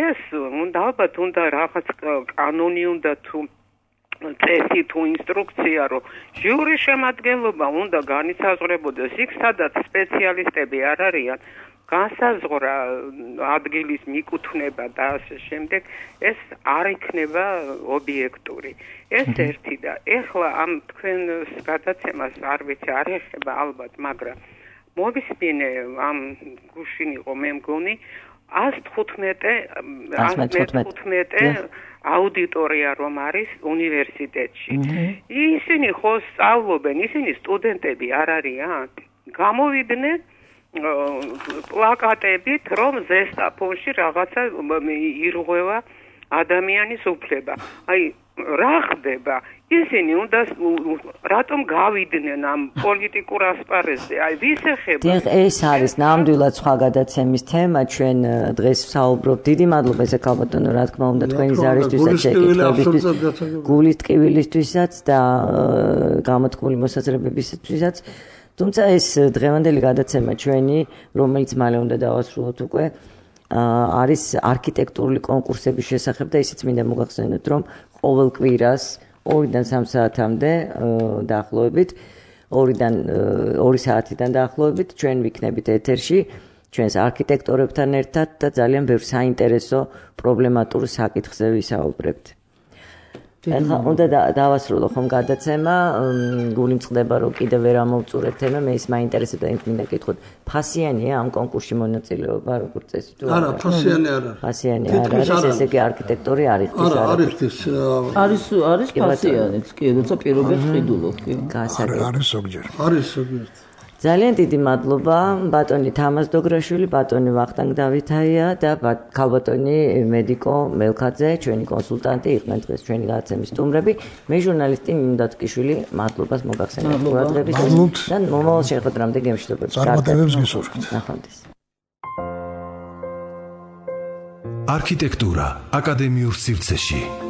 ეს უნდა ალბათ უნდა რაღაც კანონი უნდა თუ წესი თუ ინსტრუქცია რომ ჟიურის შემადგენლობა უნდა განისაზღვრებოდეს იქ სადაც სპეციალისტები არ არიან განსაზღვრა ადგილის მიკუთვნება და ასე შემდეგ ეს არ იქნება ობიექტური ეს ერთი და ეხლა ამ თქვენს გადაცემას არ ვიცი არ ეხება ალბათ მაგრამ მოვისმინე ამ გუშინ იყო მე მგონი ას თხუთმეტე აუდიტორია რომ არის უნივერსიტეტში. ისინი ხო სწავლობენ, ისინი სტუდენტები არ არიან. გამოვიდნენ პლაკატებით, რომ ზესტაფონში რაღაცა ირღვევა ადამიანის უფლება. აი, რა ხდება? ისინი უნდა რატომ გავიდნენ ამ პოლიტიკურ ასპარეზზე? აი, ვის ეხება? დიახ, ეს არის ნამდვილად სხვა გადაცემის თემა. ჩვენ დღეს ვსაუბრობთ. დიდი მადლობა ესე ქალბატონო, რა თქმა უნდა, თქვენი ზარისთვისაც, შეკითხვებისთვის, გულის ტკივილისთვისაც და გამოთქმული მოსაზრებებისთვისაც. თუმცა ეს დღევანდელი გადაცემა ჩვენი, რომელიც მალე უნდა დავასრულოთ უკვე, არის არქიტექტურული კონკურსების შესახებ და ისიც მინდა მოგახსენოთ, რომ ყოველ კვირას ორიდან სამ საათამდე დაახლოებით, ორიდან ორი საათიდან დაახლოებით ჩვენ ვიქნებით ეთერში ჩვენს არქიტექტორებთან ერთად და ძალიან ბევრ საინტერესო პრობლემატურ საკითხზე ვისაუბრებთ. ეხლა უნდა დავასრულო ხომ გადაცემა, გული მწყდება რომ კიდე ვერ ამოვწურეთ თემა, მე ის მაინტერესებდა, იმით მინდა გითხოთ, ფასიანია ამ კონკურსში მონაწილეობა როგორც წესი თუ არა? ფასიანი არ არის. ფასიანი არ არის, ესე იგი არქიტექტორი არ იხდის არა? არა, არ იხდის. არის არის ფასიანიც, კი, როცა პირობებს ყიდულობ, კი. არის ზოგჯერ. არის ზოგჯერ. ძალიან დიდი მადლობა ბატონი თამაზ დოგრაშვილი, ბატონი ვახტანგ დავითაია და ქალბატონი მედიკო მელქაძე, ჩვენი კონსულტანტი იყვნენ დღეს ჩვენი გადაცემის სტუმრები. მე ჟურნალისტი ნინო დათკიშვილი, მადლობას მოგახსენებთ ყურადღებისთვის და მომავალ შეხვედრამდე გემშვიდობებით. წარმატებებს გისურვებთ. ნახვამდის. არქიტექტურა აკადემიურ სივრცეში.